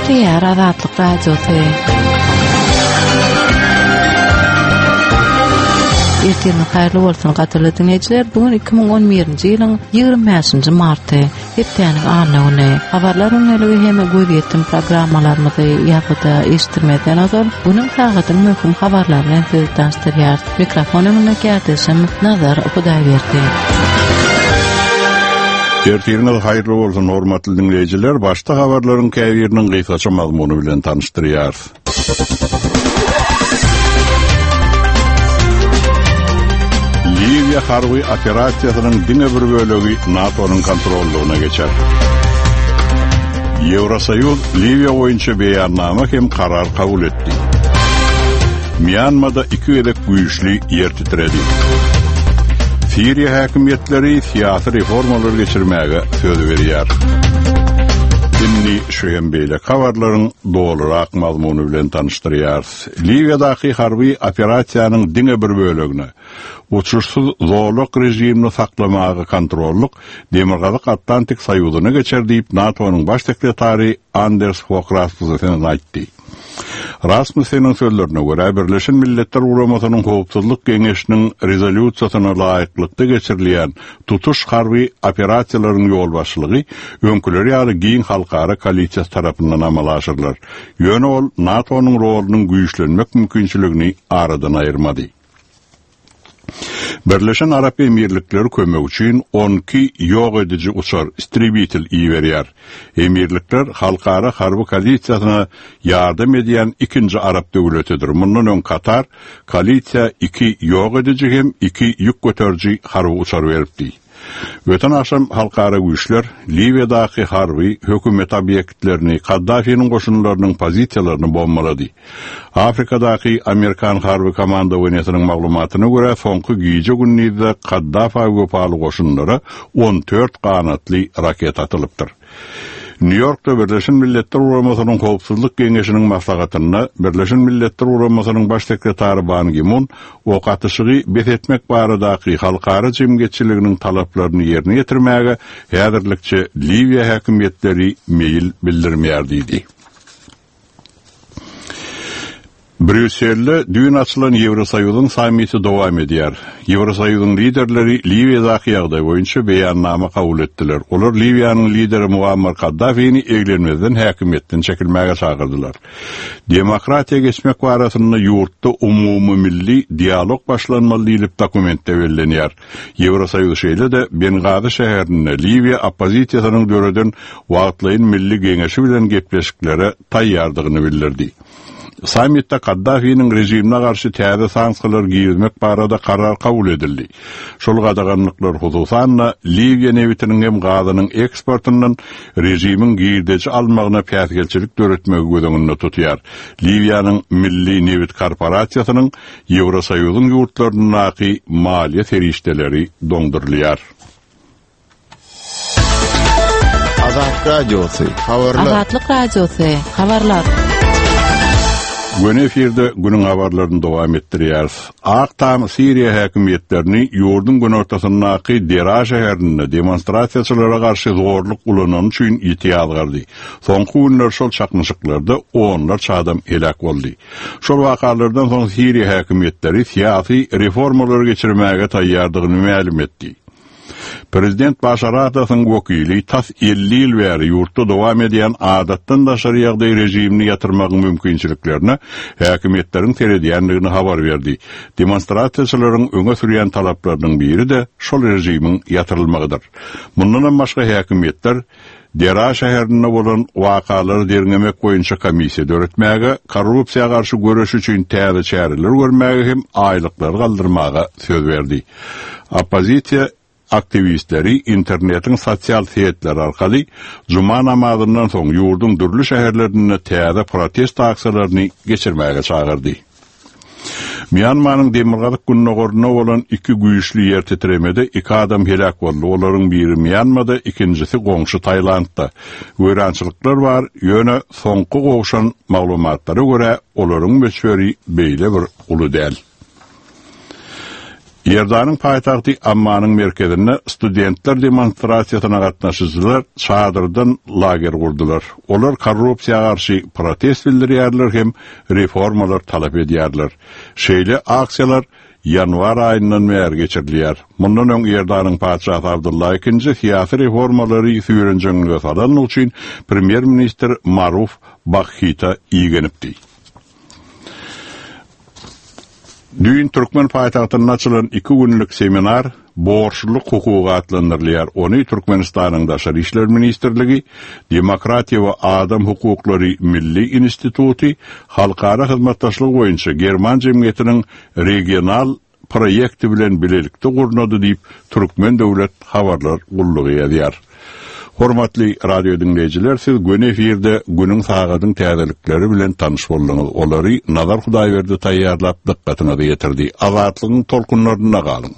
Gepleýär Azatlyk Radiosy. Ertiriňiz haýyrly bolsun, gadyrly diňleýjiler. Bu gün 2011-nji ýylyň 25-nji marty, hepdäniň anna güni. Habarlar gündeligi hem gözýetim programmalarymyzy ýazgyda eşitdirmezden ozal, günüň sagadyň möhüm habarlary bilen sizi tanyşdyrýarys. Mikrofon öňünde kärdeşim Nazar Hudaýberdi. Ertiriňiz haýyrly bolsun, hormatly diňleýjiler! Başda habarlaryň käbiriniň gysgaça mazmuny bilen tanyşdyrýarys. Liwiýa harby operasiýasynyň diňe bir bölegi NATO-nyň kontrollygyna geçer. Ýewrosoýuz Liwiýa boýunça beýannama hem karar kabul etdi. Mýanmada iki gezek güýçli ýer titredi. Siriýa häkimiýetleri syýasy reformalar geçirmäge söz berýär. Indi şu hem beýleki habarlaryň dolurak mazmuny bilen tanyşdyrýarys. Liwiýadaky harby operasiýanyň diňe bir bölegine, uçuşsyz zolak režimini saklamaga kontrollyk Demirgazyk Atlantik Soýuzyna geçer diýip, NATO-nyň baş sekretary Anders Fog Rasmussen aýtdy. Rasmusseniň sözlerine görä, Birleşen Milletler Guramasynyň Howpsuzlyk Geňeşiniň rezolýusiýasyna laýyklykda geçirilýän tutuş harby operasiýalaryň ýolbaşçylygy öňküleri ýaly giň halkara koalisiýasy tarapyndan amala aşyrylar. Ýöne ol NATO-nyň rolunyň güýçlenmek mümkinçiligini aradan aýyrmady. Birleşen Arap Emirlikleri kömek üçin 12 ýok ediji uçar, istrebitel, iberýär. Emirlikler halkara harby koalisiýasyna ýardam edýän ikinji arap döwletidir. Mundan öň Katar koalisiýa iki ýok ediji hem iki ýük göteriji harby uçar beripdi. Öten agşam halkara güýçler Liwiýadaky harby, hökümet obýektlerini, Kaddafiniň goşunlarynyň pozisiýalaryny bombalady. Afrikadaky amerikan harby komandowaniýasynyň maglumatyna görä, soňky gije-gündizde Kaddafa wepaly goşunlara 14 ganatly raketa atylypdyr. Nýu-Ýorkda Birleşen Milletler Guramasynyň Howpsuzlyk Geňeşiniň maslahatynda Birleşen Milletler Guramasynyň Baş sekretary Ban Gi-mun ok atyşygy bes etmek baradaky halkara jemgyýetçiliginiň talaplaryny ýerine ýetirmäge häzirlikçe Liwiýa häkimiýetleri meýil bildirmeýär diýdi. Brýusselde düýn açylan Ýewrosoýuzyň sammiti dowam edýär. Ýewrosoýuzyň liderleri Liwiýadaky ýagdaý boýunça beýannama kabul etdiler. Olar Liwiýanyň lideri Muammar Kaddafini eglenmezden häkimiýetden çekilmäge çagyrdylar. Demokratiýa geçmek barasynda ýurtda umumymilli dialog başlanmaly diýlip dokumentde bellenýär. Ýewrosoýuz şeýle-de Bengazi şäherinde Liwiýa oppozisiýasynyň döreden wagtlaýyn milli geňeşi bilen gepleşiklere taýýardygyny bildirdi. Sammitde Kaddafiniň režimine garşy täze sanksiýalar girizmek barada karar kabul edildi. Şol gadaganlyklar, hususan-da, Liwiýa nebitiniň hem gazynyň eksportyndan režimiň girdeji almagyna päsgelçilik döretmegi göz öňünde tutýar. Liwiýanyň Milli nebit korporasiýasynyň Ýewrosoýuzyň ýurtlaryndaky maliýe serişdeleri doňdurylýar. Azat Radiosy, habarlar. Azatlyk Radiosy, habarlar. Göni efirde günüň habarlaryny dowam etdirýäris. Ak Tam Siriýa häkimiýetlerini ýurduň günortasyndaky Dera şäherinde demonstrasiýaçylara garşy zorluk ulanany üçin ýiti ýazgardy. Soňky günler şol çaknyşyklarda onlarça adam heläk boldy. Şol wakalardan soň Siriýa häkimiýetleri syýasy reformalary geçirmäge taýýardygyny mälim etdi. Prezident Başar Asadyň wekili tas 50 ýyl bäri ýurtda dowam edýän adatdan daşary ýagdaý režimini ýatyrmagyň mümkinçiliklerine häkimiýetleriň seredýändigini habar berdi. Demonstrasiýaçylaryň öňe sürýän talaplarynyň biri-de şol režimiň ýatyrylmagydyr. Mundanam başga häkimiýetler Dera şäherinde bolan wakalary derňemek boýunça komissiýa döretmäge, korrupsiýa garşy göreş üçin täze çäreler görmäge hem aýlyklary galdyrmaga söz berdi. Oppozisiýa aktiwistleri internetiň sosial setleri arkaly juma namazyndan soň ýurduň dürli şäherlerinde täze protest aksiýalaryny geçirmäge çagyrdy. Mýanmanyň demirgazyk-gündogarynda bolan iki güýçli ýer titremede iki adam heläk boldy, olaryň biri Mýanmada, ikinjisi goňşy Tailandda. Weýrançylyklar bar, ýöne soňky gowşan maglumatlara görä, olaryň möçberi beýle bir uly däl. Iordanyň paýtagty Ammanyň merkezinde studentler demonstrasiýasyna gatnaşyjylar çadyrdan lager gurdular. Olar korrupsiýa garşy protest bildirýärler hem reformalar talap edýärler. Şeýle aksiýalar ýanwar aýyndan bäri geçirilýär. Mundan öň Iordanyň patyşasy Abdylla II syýasy reformalary süýrenjeňlige salanlygy üçin premýer-ministr Maruf Bakhita igenipdi. Düýn türkmen paýtagtynda açylan iki günlük seminar Borçlulyk hukugy atlandyrylýar. Ony Türkmenistanyň Daşary işler ministrligi, Demokratiýa we adam hukuklary milli instituty, Halkara hyzmatdaşlygy boýunça german jemgyýetiniň regional proýekti bilen bilelikde gurnady diýip, Türkmen döwlet habarlar gullugy ýazýar. Hormatly radio diňleýjiler, siz göni efirde günüň sagadyň täzelikleri bilen tanyş bolduňyz. Olary Nazar Hudaýberdi taýýarlap dykgatyňyza ýetirdi. Azatlygyň tolkunlarynda galyň!